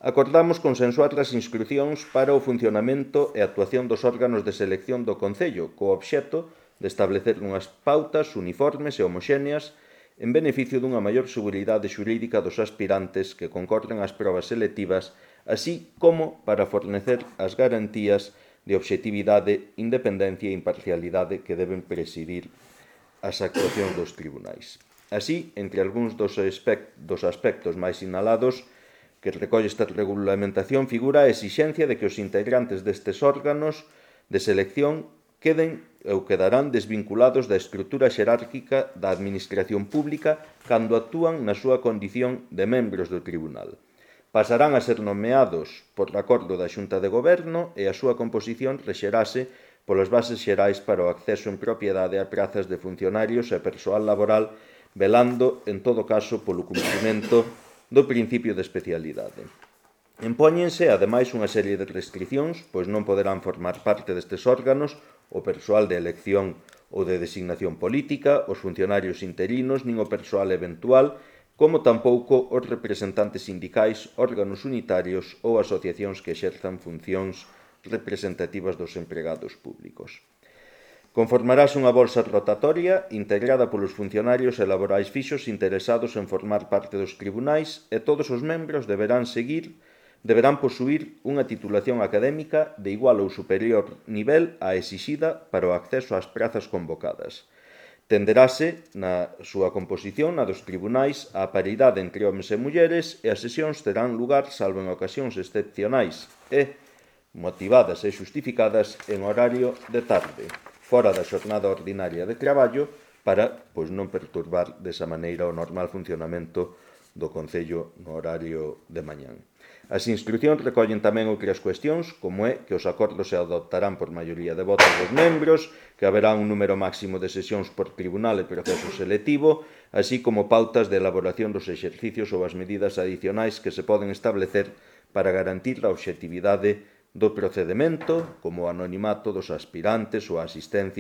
acordamos consensuar as instrucións para o funcionamento e actuación dos órganos de selección do Concello, co obxecto de establecer unhas pautas uniformes e homoxéneas en beneficio dunha maior seguridade xurídica dos aspirantes que concorren ás probas selectivas, así como para fornecer as garantías de obxectividade, independencia e imparcialidade que deben presidir as actuacións dos tribunais. Así, entre algúns dos aspectos máis sinalados que recolle esta regulamentación figura a exixencia de que os integrantes destes órganos de selección quedarán desvinculados da estrutura xerárquica da administración pública cando actúan na súa condición de membros do tribunal. Pasarán a ser nomeados por acordo da Xunta de Goberno e a súa composición rexerase polas bases xerais para o acceso en propiedade a prazas de funcionarios e persoal laboral, velando, en todo caso, polo cumprimento do principio de especialidade. Impóñense, ademais, unha serie de restriccións, pois non poderán formar parte destes órganos o persoal de elección ou de designación política, os funcionarios interinos, nin o persoal eventual, como tampouco os representantes sindicais, órganos unitarios ou asociacións que exerzan funcións representativas dos empregados públicos. Conformarase unha bolsa rotatoria integrada polos funcionarios e laborais fixos interesados en formar parte dos tribunais e todos os membros deberán posuír unha titulación académica de igual ou superior nivel á exixida para o acceso ás prazas convocadas. Tenderase na súa composición a dos tribunais a paridade entre homes e mulleres e as sesións terán lugar, salvo en ocasións excepcionais e motivadas e xustificadas, en horario de tarde, fora da xornada ordinaria de traballo, para non perturbar desa maneira o normal funcionamento do Concello no horario de mañán. As instrucións recollen tamén outras cuestións, como é que os acordos se adoptarán por maioría de votos dos membros, que haberá un número máximo de sesións por tribunal e proceso selectivo, así como pautas de elaboración dos exercicios ou as medidas adicionais que se poden establecer para garantir a obxectividade do procedemento, como o anonimato dos aspirantes ou a asistencia